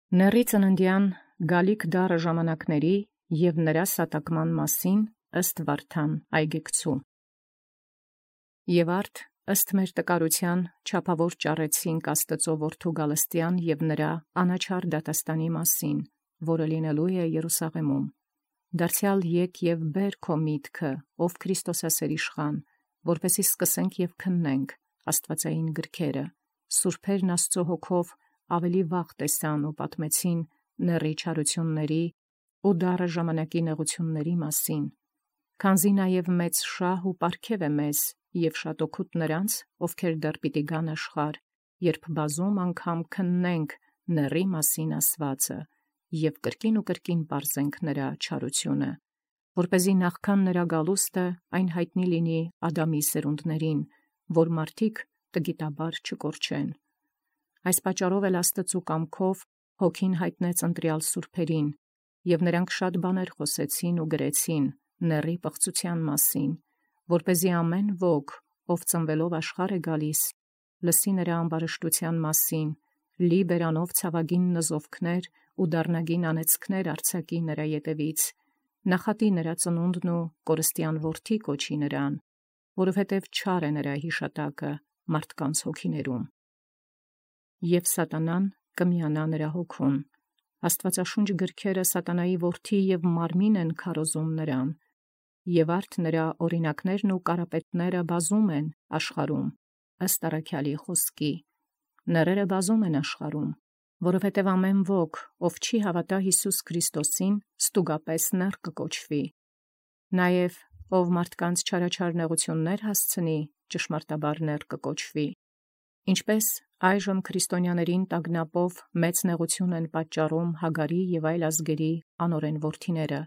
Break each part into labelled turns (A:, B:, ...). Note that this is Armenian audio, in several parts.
A: Նեռի ծննդյան գալիք դարը ժամանակների և նրա սատակման մասին ըստ Վարդան այգեկցու։ Եվ արդ ըստ մեր տկարության չափավոր ճառեցինք Աստծո որդու գալստյան և նրա անաչառ դատաստանի մասին, որը լինելու է Երուսաղեմում։ Դարձյալ եկ և բեր քո միտքը, ով Քրիստոսասեր իշխան, որպեսզի սկսենք և քննենք աստվածային գրքերը, սուրբերն Աստծո հոգով ավելի վաղ տեսան ու պատմեցին նեռի չարությունների ու դառը ժամանակի նեղությունների մասին, քանզի նաև մեծ շահ ու պարգև է մեզ և շատ օգուտ նրանց, ովքեր դեռ պիտի գան աշխարհ, երբ բազում անգամ քննենք նեռի մասին ասվածը և կրկին ու կրկին պարզենք նրա չարությունը, որպեսզի նախքան նրա գալուստը այն հայտնի լինի Ադամի սերունդներին, որ մարդիկ տգիտաբար չկորչեն։ Այս պատճառով էլ Աստծու կամքով Հոգին հայտնեց ընտրյալ սուրբերին, և նրանք շատ բաներ խոսեցին ու գրեցին նեռի պղծության մասին, որպեսզի ամեն ոք, ով ծնվելով աշխարհ է գալիս, լսի նրա ամբարշտության մասին, լի բերանով ցավագին նզովքներ ու դառնագին անեծքներ արձակի նրա ետևից, նախատի նրա ծնունդն ու կորստյան որդի կոչի նրան, որովհետև չար է նրա հիշատակը մարդկանց հոգիներում։ Եվ սատանան կմիանա նրա հոգուն։ Աստվածաշունչ գրքերը սատանայի որդի և մարմին են քարոզում նրան, և արդ նրա օրինակներն ու կարապետները բազում են աշխարհում, ըստ առաքյալի խոսքի։ Նեռերը բազում են աշխարհում, որովհետև ամեն ոք, ով չի հավատա Հիսուս Քրիստոսին, ստուգապես նեռ կկոչվի։ Նաև ով մարդկանց չարաչար նեղություններ հասցնի, ճշմարտաբար նեռ կկոչվի։ Ինչպես այժմ քրիստոնյաներին տագնապով մեծ նեղություն են պատճառում Հագարի և այլ ազգերի անօրեն որդիները,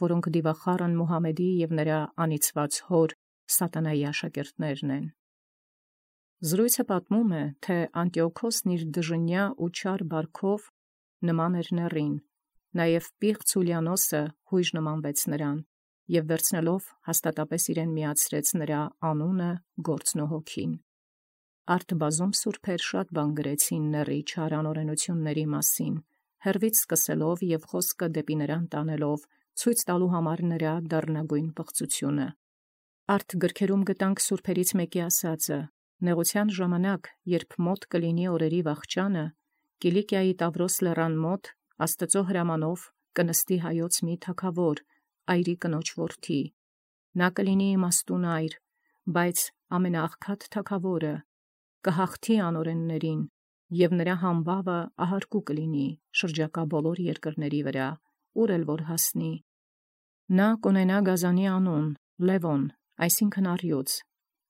A: որոնք դիվախառն Մուհամեդի և նրա անիծված հոր սատանայի աշակերտներն են։ Զրույցը պատմում է, թե Անտիոքոսն իր դժնյա ու չար բարքով նման էր նեռին, նաև պիղծ Յուլիանոսը հույժ նմանվեց նրան, և վերցնելով հաստատապես իրեն միացրեց նրա անունը, գործն ու հոգին։ Արդ բազում սուրբեր շատ բան գրեցին նեռի չար անօրենությունների մասին, հեռվից սկսելով և խոսքը դեպի նրան տանելով, ցույց տալու համար նրա դառնագույն պղծությունը։ Արդ գրքերում գտանք սուրբերից մեկի ասածը. նեղության ժամանակ, երբ մոտ կլինի օրերի վախճանը, Կիլիկիայի Տավրոս լեռան մոտ Աստծո հրամանով կնստի հայոց մի թագավոր, այրի կնոջ որդի։ Նա կլինի իմաստուն այր, բայց ամենաաղքատ թագավորը, կհաղթի անօրեններին, և նրա համբավը ահարկու կլինի շրջակա բոլոր երկրների վրա, ուր էլ որ հասնի։ Նա կունենա գազանի անուն, Լևոն, այսինքն առյուծ։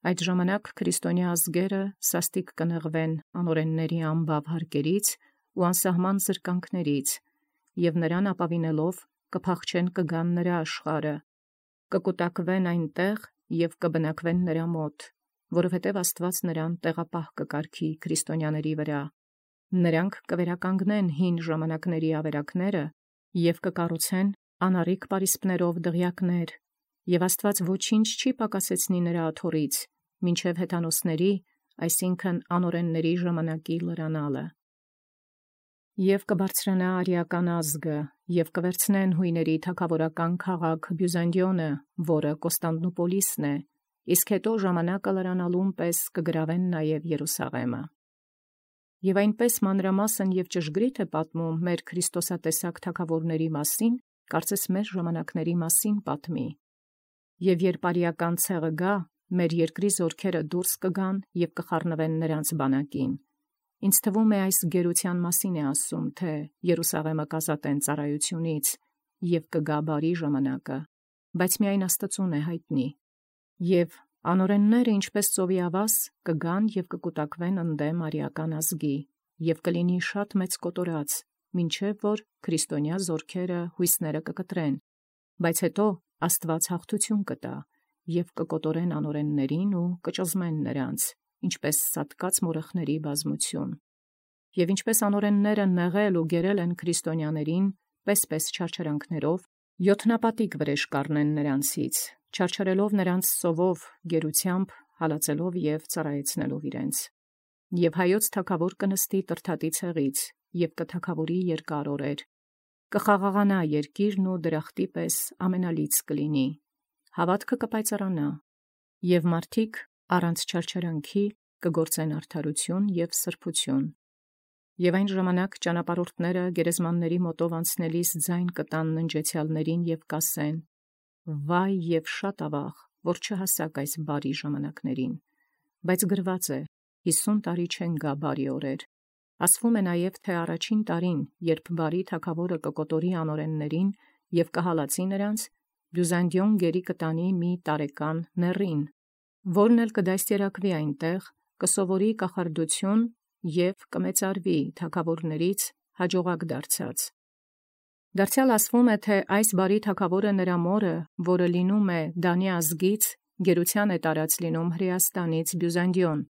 A: Այդ ժամանակ քրիստոնյա ազգերը սաստիկ կնեղվեն անօրենների անբավ հարկերից ու անսահման զրկանքներից, և նրան ապավինելով կփախչեն կգան նրա աշխարհը, կկուտակվեն այնտեղ և կբնակվեն նրա մոտ, որովհետև Աստված նրան տեղապահ կկարգի քրիստոնյաների վրա։ Նրանք կվերականգնեն հին ժամանակների ավերակները և կկառուցեն անառիկ պարիսպներով դղյակներ, և Աստված ոչինչ չի պակասեցնի նրա աթոռից, մինչև հեթանոսների, այսինքն անօրենների ժամանակի լրանալը։ Եվ կբարձրանա արիական ազգը, և կվերցնեն հույների թագավորական քաղաք Բյուզանդիոնը, որը Կոստանդնուպոլիսն է, իսկ հետո ժամանակը լրանալուն պես կգրավեն նաև Երուսաղեմը։ Եվ այնպես մանրամասն և ճշգրիտ է պատմում մեր քրիստոսատեսակ թագավորների մասին, կարծես մեր ժամանակների մասին պատմի։ Եվ երբ արիական ցեղը գա, մեր երկրի զորքերը դուրս կգան և կխառնվեն նրանց բանակին։ Ինձ թվում է այս գերության մասին է ասում, թե Երուսաղեմը կազատեն ծառայությունից, և կգա բարի ժամանակը, բայց միայն Աստծուն է հայտնի։ Եվ անօրենները, ինչպես ծովի ավազ, կգան և կկուտակվեն ընդդեմ արիական ազգի, և կլինի շատ մեծ կոտորած, մինչև որ քրիստոնյա զորքերը հույսները կկտրեն, բայց հետո Աստված հաղթություն կտա, և կկոտորեն անօրեններին ու կճզմեն նրանց, ինչպես սատկած մորախների բազմություն։ Եվ ինչպես անօրենները նեղել ու գերել են քրիստոնյաներին, պես չարչարանքներով, յոթնապատիկ վրեժ կառնեն նրանցից, չարչարելով նրանց սովով, գերությամբ, հալածելով և ծառայեցնելով իրենց։ Եվ հայոց թագավոր կնստի Տրդատի ցեղից, և կթագավորի երկար օրեր։ Կխաղաղանա երկիրն ու դրախտի պես ամենալից կլինի, հավատքը կպայծառանա, և մարդիկ առանց չարչարանքի կգործեն արդարություն և սրբություն։ Եվ այն ժամանակ ճանապարհորդները գերեզմանների մոտով անցնելիս ձայն կտան ննջեցյալներին և կասեն. «Վայ և շատ ավաղ, որ չհասաք այս բարի ժամանակներին, բայց գրված է, 50 տարի չեն գա բարի օրեր»։ Ասվում է նաև, թե առաջին տարին, երբ բարի թագավորը կկոտորի անօրեններին և կհալածի նրանց, Բյուզանդիոն գերի կտանի մի տարեկան նեռին, որն էլ կդաստիարակվի այնտեղ, կսովորի կախարդություն և կմեծարվի թագավորներից հաջողակ դարձած։ Դարձյալ ասվում է, թե այս բարի թագավորը նրա մորը, որը լինում է Դանի ազգից, գերության է տարած լինում Հրեաստանից Բյուզանդիոն,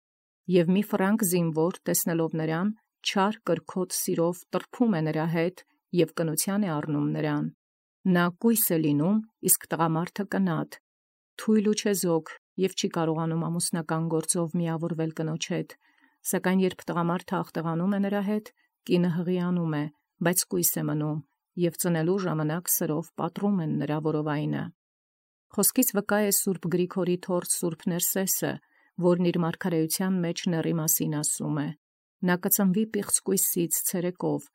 A: և մի ֆրանկ զինվոր տեսնելով նրան, չար կրքոտ սիրով տրփում է նրա հետ և կնության է առնում նրան։ Նա կույս է լինում, իսկ տղամարդը կնատ, թույլ ու չեզոք և չի կարողանում ամուսնական գործով միավորվել կնոջ հետ, սակայն երբ տղամարդը աղտեղանում է նրա հետ, կինը հղիանում է, բայց կույս է մնում, և ծնելու ժամանակ սրով պատռում են նրա որովայնը։ Խոսքից վկա է Սուրբ Գրիգորի թորձ Սուրբ Ներսեսը, որն իր մարգարեության մեջ նեռի մասին ասում է. «Նա կծնվի պիղծ կույսից ցերեկով,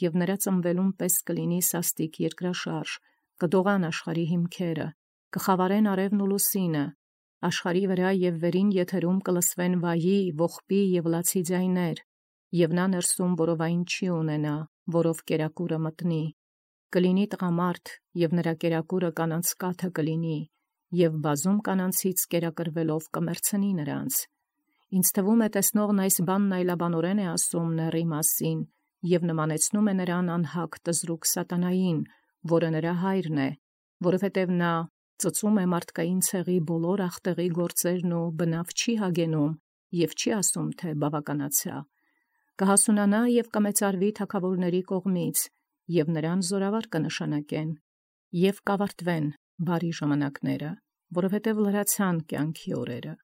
A: և նրա ծնվելուն պես կլինի սաստիկ երկրաշարժ, կդողան աշխարհի հիմքերը, կխավարեն արևն ու լուսինը, աշխարհի վրա և վերին եթերում կլսվեն վայի, ողբի և լացի ձայներ, և նա ներսում որովայն չի ունենա, որով կերակուրը մտնի։ Կլինի տղամարդ, և նրա կերակուրը կանանց կաթը կլինի, և բազում կանանցից կերակրվելով կմեռցնի նրանց։ Ինձ թվում է տեսնողն այս բանն այլաբանորեն է ասում նեռի մասին, և նմանեցնում է նրան անհագ տզրուկ սատանային, որը նրա հայրն է, որովհետև նա ծծում է մարդկային ցեղի բոլոր ախտեղի գործերն ու բնավ չի հագենում և չի ասում, թե բավականացա։ Կհասունանա և կմեծարվի թագավորների կողմից, և նրան զորավար կնշանակեն, և կավարտվեն բարի ժամանակները, որովհետև լրացան կյանքի օրերը։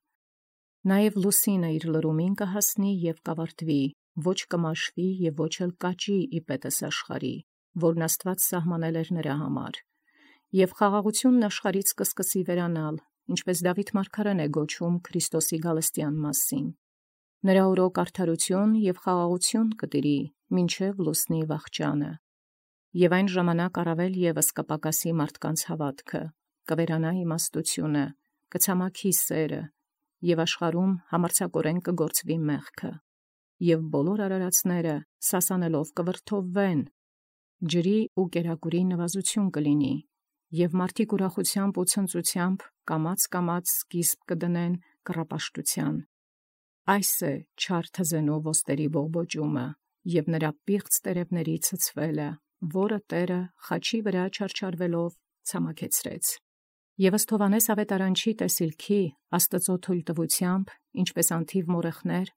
A: Նաև լուսինը իր լրումին կհասնի և կավարտվի, ոչ կմաշվի և ոչ էլ կաճի իպետս աշխարհի, որն Աստված սահմանել էր նրա համար։ Եվ խաղաղությունն աշխարհից կսկսի վերանալ, ինչպես Դավիթ մարգարեն է գոչում Քրիստոսի գալստյան մասին. «Նրա օրոք արդարություն և խաղաղություն կտիրի, մինչև լուսնի վախճանը»։ Եվ այն ժամանակ առավել ևս կպակասի մարդկանց հավատքը, կվերանա իմաստությունը, կցամաքի սերը, և աշխարհում համարձակորեն կգործվի մեղքը, և բոլոր արարածները սասանելով կվրդովվեն, ջրի ու կերակուրի նվազություն կլինի, և մարդիկ ուրախությամբ ու ցնծությամբ կամաց սկիզբ կդնեն կռապաշտության։ Այս է չար թզենու ոստերի բողբոջումը և նրա պիղծ տերևների ցցվելը, որը Տերը խաչի վրա չարչարվելով ցամաքեցրեց։ Եվ ըստ Հովհաննես ավետարանչի տեսիլքի Աստծո թույլտվությամբ, ինչպես անթիվ մորեխներ,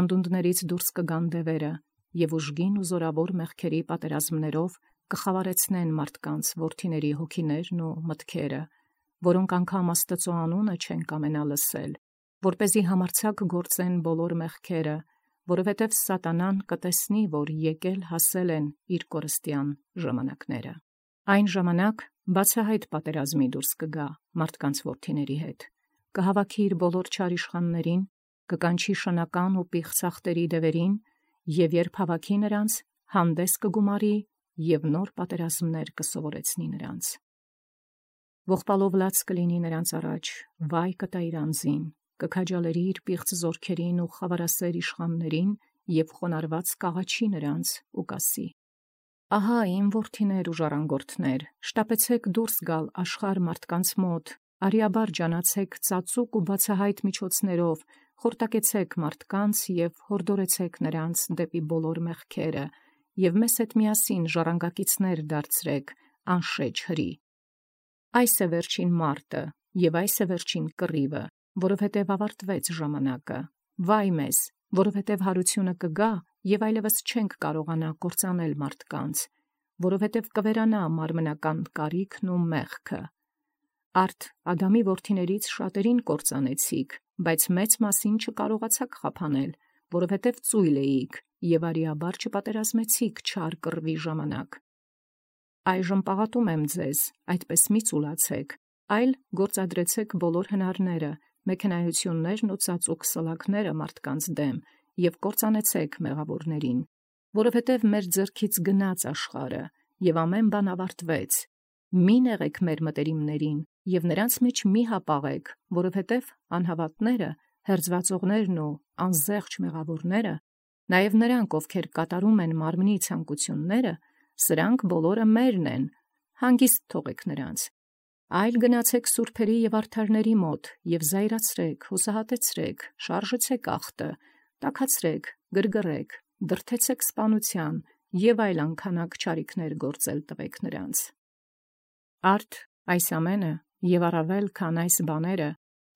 A: անդունդներից դուրս կգան դևերը, և ուժգին ու զորավոր մեղքերի պատերազմներով կխավարեցնեն մարդկանց որդիների հոգիներն ու մտքերը, որոնք անգամ Աստծո անունը չեն կամենա լսել, որպեսզի համարձակ գործեն բոլոր մեղքերը, որովհետև սատանան կտեսնի, որ եկել հասել են իր կորստյան ժամանակները։ Այն ժամանակ բացահայտ պատերազմի դուրս կգա մարդկանց որդիների հետ, կհավաքի իր բոլոր չար իշխաններին, կկանչի շնական ու պիղծ ախտերի դևերին, և երբ հավաքի նրանց, հանդես կգումարի և նոր պատերազմներ կսովորեցնի նրանց։ Ողբալով լաց կլինի նրանց առաջ, վայ կտա իր անձին, կքաջալերի իր պիղծ զորքերին ու խավարասեր իշխաններին և խոնարհված կաղաչի նրանց ու կասի. «Ահա իմ որդիներ ու ժառանգորդներ, շտապեցեք դուրս գալ աշխարհ մարդկանց մոտ, արիաբար ջանացեք ծածուկ ու բացահայտ միջոցներով, խորտակեցեք մարդկանց և հորդորեցեք նրանց դեպի բոլոր մեղքերը, և մեզ հետ միասին ժառանգակիցներ դարձրեք անշեջ հրի։ Այս է վերջին մարտը, և այս է վերջին կռիվը, որովհետև ավարտվեց ժամանակը։ Վայ մեզ, որովհետև հարությունը կգա, և այլևս չենք կարողանա կործանել մարդկանց, որովհետև կվերանա մարմնական կարիքն ու մեղքը։ Արդ Ադամի որդիներից շատերին կործանեցիք, բայց մեծ մասին չկարողացաք խափանել, որովհետև ծույլ էիք եւ արիաբար չպատերազմեցիք չար կռվի ժամանակ։ Այժմ պաղատում եմ ձեզ, այդպես մի ծուլացեք, այլ գործադրեցեք բոլոր հնարները, մեքենայություններն ու ծածուկ սլաքները մարդկանց դեմ եւ կործանեցեք մեղավորներին, որովհետեւ մեր ձեռքից գնաց աշխարհը եւ ամեն բան ավարտվեց։ Մի նեղեք մեր մտերիմներին եւ նրանց մեջ մի հապաղեք, որովհետեւ անհավատները, հերձվածողներն ու անզեղջ մեղավորները, նաեւ նրանք, ովքեր կատարում են մարմնի ցանկությունները, սրանք բոլորը մերն են, հանգիստ թողեք նրանց։ Այլ գնացեք սուրբերի եւ արդարների մոտ եւ զայրացրեք, հուսահատեցրեք, շարժեցեք ախտը, տաքացրեք, գրգռեք, դրդեցեք սպանության եւ այլ անքանակ չարիքներ գործել տվեք նրանց։ Արդ այս ամենը եւ առավել քան այս բաները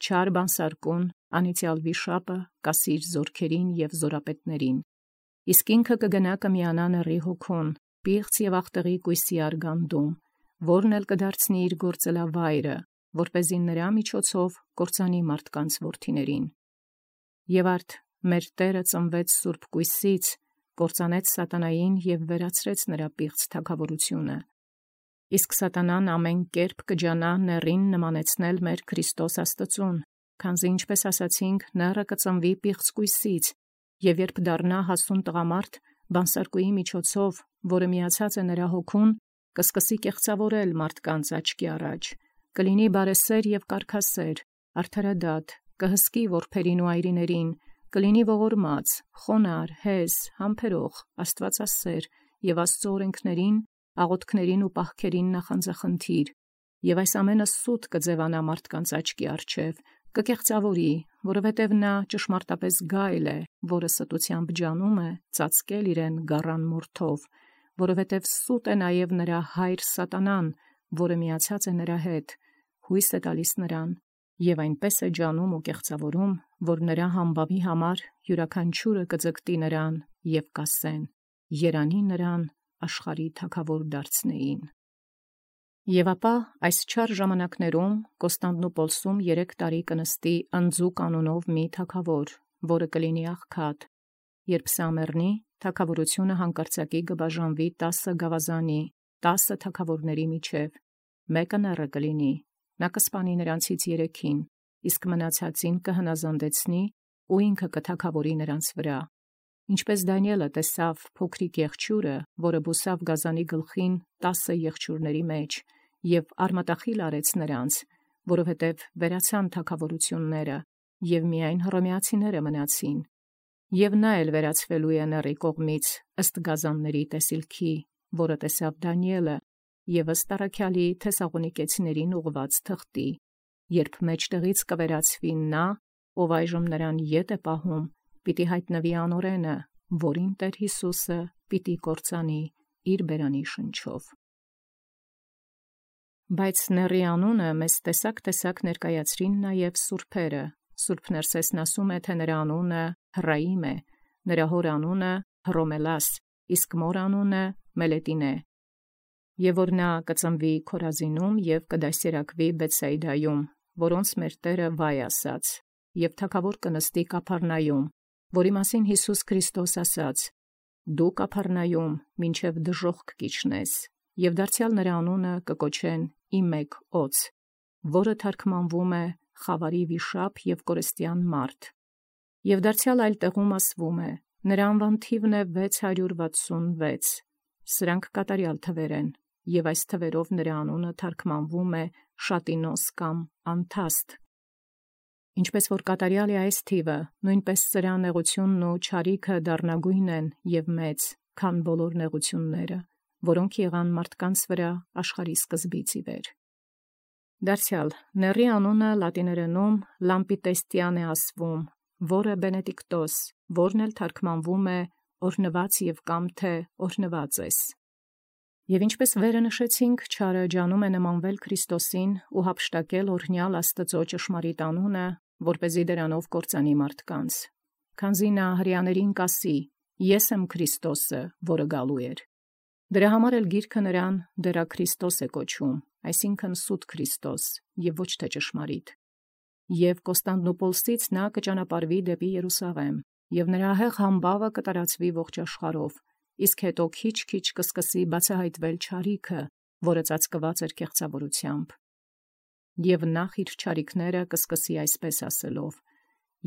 A: չար բանսարկուն անիցյալ վիշապը կասիր զորքերին եւ զորապետներին, իսկ ինքը կգնա կմիանա նռի հոգուն, պիղծ եւ ախտեղի կույսի արգանդում, որն էլ կդարձնի իր գործելավայրը, որպեսզի նրա միջոցով կործանի մարդկանց որդիներին։ Եվ արդ մեր Տերը ծնվեց սուրբ կույսից, կործանեց սատանային եւ վերացրեց նրա պիղծ թագավորությունը։ Իսկ սատանան ամեն կերպ կջանա նեռին նմանեցնել մեր Քրիստոս Աստծուն, քանզի ինչպես ասացինք, նեռը կծնվի պիղծ կույսից, եւ երբ դառնա հասուն տղամարդ, բանսարկուի միջոցով, որը միացած է նրա հոգուն, կսկսի կեղծավորել մարդկանց աչքի առաջ, կլինի բարեսեր եւ կարգասեր, արդարադատ, կհսկի որբերին ու այրիներին, կլինի ողորմած, խոնար, հեզ, համբերող, աստվածասեր եւ Աստծո օրենքներին, աղոթքներին ու պահքերին նախանձախնդիր, եւ այս ամենը սուտ կձևանա մարդկանց աչքի առջև, կկեղծավորի, որովհետև նա ճշմարտապես գայլ է, որը ստությամբ ջանում է ծածկել իրեն գառան մորթով, որովհետև սուտ է նաև նրա հայր սատանան, որը միացած է նրա հետ, հույս է տալիս նրան, եւ այնպես է ջանում ու կեղծավորում, որ նրա համբավի համար յուրաքանչյուրը կձգտի նրան եւ կասեն. երանի նրան աշխարհի թագավոր դարձնեին։ Եվ ապա այս չար ժամանակներում Կոստանդնուպոլսում 3 տարի կնստի Ընձուկ անունով մի թագավոր, որը կլինի աղքատ, երբ Սամեռնի թագավորությունը հանկարծակի կբաժանվի 10 գավազանի, 10 թագավորների միջև, մեկը նեռը կլինի, նա կսպանի նրանցից 3-ին, իսկ մնացածին կհնազանդեցնի ու ինքը կթագավորի նրանց վրա։ Ինչպես Դանիելը տեսավ փոքրիկ եղջյուրը, որը բուսավ գազանի գլխին 10 եղջյուրների մեջ, եւ արմատախիլ արեց նրանց, որովհետև վերացան թագավորությունները, եւ միայն հռոմեացիները մնացին, եւ նա էլ վերացվելու է նռի կողմից ըստ գազանների տեսիլքի, որը տեսավ Դանիելը, եւ ըստ առաքյալի Թեսաղոնիկեցիներին ուղված թղթի, երբ մեջտեղից կվերացվի նա, ով այժմ նրան ետ է պահում, պիտի հայտնվի անօրենը, որին Տեր Հիսուսը պիտի կործանի իր բերանի շնչով։ Բայց նեռի անունը մեզ տեսակ ներկայացրին նաև սուրբերը։ Սուրբ Ներսեսն ասում է, թե նրա անունը Հռայիմ է, նրա հոր անունը Հռոմելաս, իսկ մոր անունը Մելետին է։ Եվ որ նա կծնվի Քորազինում եւ կդասերակվի Բեթսայդայում, որոնց մեր Տերը վայ ասաց, եւ թագավոր կնստի Կափառնայում, որի մասին Հիսուս Քրիստոս ասաց. «Դու Կափառնայում մինչև դժոխք կիջնես», եւ դարձյալ նրա անունը կկոչեն Իմեկ օծ, որը թարգմանվում է խավարի վիշապ եւ կորստյան մարդ։ Եւ դարձյալ այլ տեղում ասվում է. նրա անվան թիվն է 666, սրանք կատարյալ թվեր են, եւ այս թվերով նրա անունը թարգմանվում է Շատինոս կամ անթաստ։ Ինչպես որ կատարյալ է այս թիվը, նույնպես սրա նեղությունն ու չարիքը դառնագույն են եւ մեծ, քան բոլոր նեղությունները, որոնք եղան մարդկանց վրա աշխարհի սկզբից ի վեր։ Դարձյալ նեռի անունը լատիներենում Լամպիտեստիան է ասվում, որը Բենեդիկտոս, որն էլ թարգմանվում է օրհնված եւ կամ թե օրհնված ես։ Եվ ինչպես վերը նշեցինք, չարը ջանում է նմանվել Քրիստոսին ու հափշտակել օրհնյալ Աստծո ճշմարիտ անունը, որպեսզի դրանով կործանի մարդկանց։ Քանզի նա հրեաներին կասի. «Ես եմ Քրիստոսը, որը գալու էր»։ Դրա համար էլ գիրքը նրան դրա Քրիստոս է կոչում, այսինքն սուտ Քրիստոս, եւ ոչ թե ճշմարիտ։ Եվ Կոստանդնուպոլսից նա կճանապարհվի դեպի Երուսաղեմ, եւ նրա հեղ համբավը կտարածվի ողջ աշխարհով, իսկ հետո քիչ կսկսի բացահայտվել չարիքը, որը ծածկված էր կեղծավորությամբ։ Եվ նախ իր չարիքները կսկսի այսպես ասելով.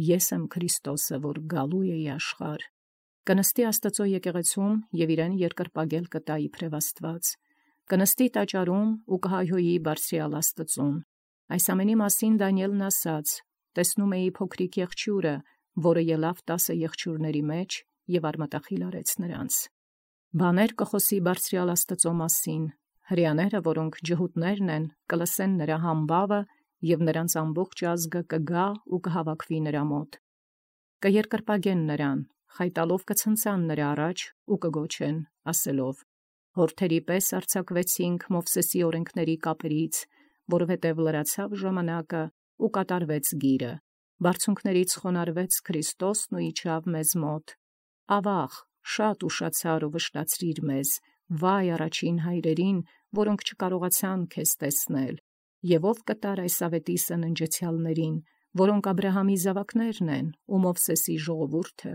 A: Ես եմ Քրիստոսը, որ գալու է աշխարհ։ Կնստի Աստծո եկեղեցում եւ իրեն երկրպագել կտա իբրև Աստված։ Կնստի տաճարում ու կհայհոյի բարձրյալ Աստծուն։ Այս ամենի մասին Դանիելն ասաց. տեսնում էի փոքրիկ եղջյուրը, որը ելավ 10 եղջյուրների մեջ եւ արմատախիլ արեց նրանց։ Բաներ կխոսի բարձրյալ Աստծո մասին, հրեաները, որոնք ջհուդներն են, կլսեն նրա համբավը եւ նրանց ամբողջ ազգը կգա ու կհավաքվի նրա մոտ։ Կերկրպագեն նրան, խայտալով կցնցան նրա առաջ ու կգոչեն, ասելով. Հորթերի պես արձակվեցինք Մովսեսի օրենքների կապերից, որովհետև լրացավ ժամանակը ու կատարվեց գիրը։ Բարձունքներից խոնարհվեց Քրիստոսն ու իջավ մեզ մոտ։ Ավաղ, շատ ուշացար ու վշտացրիր մեզ, վայ առաջին հայրերին, որոնք չկարողացան քեզ տեսնել, եւ ով կտար այս ավետի սննջեցյալներին, որոնք Աբրահամի զավակներն են ու Մովսեսի ժողովուրդը։